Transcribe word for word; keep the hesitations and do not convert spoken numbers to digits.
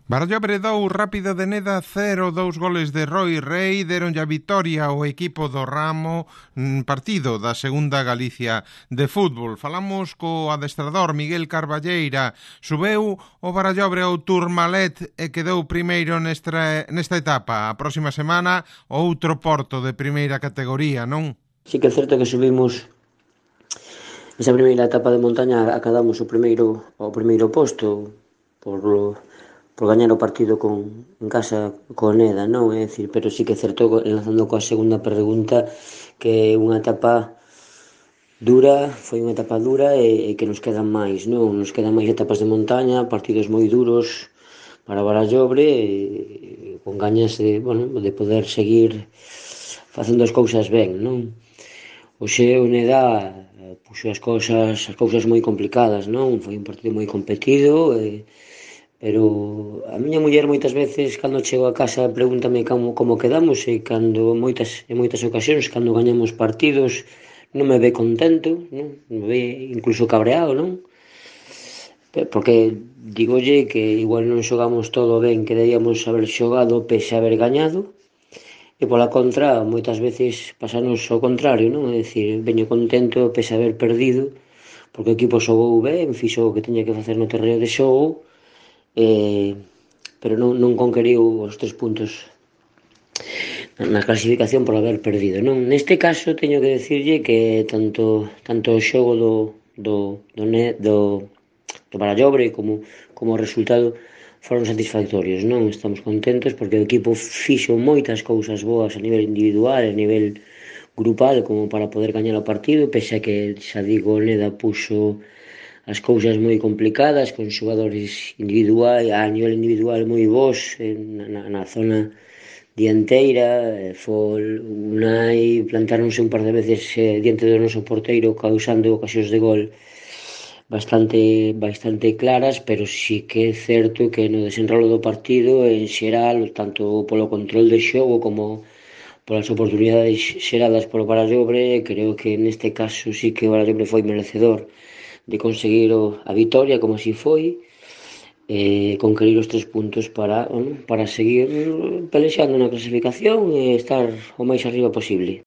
Barallobre dous, Rápido de Neda cero, dous goles de Roy Rey deronlle a vitoria ao equipo do Ramo, partido da segunda Galicia de fútbol. Falamos co adestrador Miguel Carballeira. Subeu o Barallobre ao Tourmalet e quedou primeiro nesta, nesta etapa. A próxima semana outro Porto de primeira categoría, non? Sí que é certo que subimos esa primeira etapa de montaña, acadamos o primeiro o primeiro posto por por gañar o partido con, en casa co Neda, non? É dicir, pero sí que é certo, enlazando coa segunda pregunta, que é unha etapa dura, foi unha etapa dura e, e que nos quedan máis, non? Nos quedan máis etapas de montaña, partidos moi duros para Barallobre, e, con gañas de, bueno, de poder seguir facendo as cousas ben, non? Oxe o Neda puxo as cousas, as cousas moi complicadas, non? Foi un partido moi competido, e pero a miña muller moitas veces cando chego a casa pregúntame como, como quedamos, e cando moitas, en moitas ocasións cando gañamos partidos non me ve contento, non? Me ve incluso cabreado, non? Porque digolle que igual non xogamos todo ben que debíamos haber xogado pese a haber gañado, e pola contra moitas veces pasanos o contrario, non? É dicir, veño contento pese a haber perdido porque o equipo xogou ben, fixo o que tiña que facer no terreo de xogo, eh, pero non, non conqueriu os tres puntos na clasificación por haber perdido, non? Neste caso teño que decirlle que tanto tanto o xogo do do do, do, do Barallobre como como o resultado foron satisfactorios, non? Estamos contentos porque o equipo fixo moitas cousas boas a nivel individual, a nivel grupal, como para poder gañar o partido, pese a que, xa digo, Neda puxo as cousas moi complicadas, con xogadores individuais, a nivel individual moi bons, na, na zona dianteira, Fol, Unai, plantáronse un par de veces eh, diante do noso porteiro, causando ocasións de gol bastante bastante claras, pero sí que é certo que no desenrolo do partido, en xeral, tanto polo control de xogo como polas oportunidades xeradas polo Barallobre, creo que neste caso sí que o Barallobre foi merecedor de conseguir a vitoria, como así foi, e conquerir os tres puntos para, bueno, para seguir pelexando na clasificación e estar o máis arriba posible.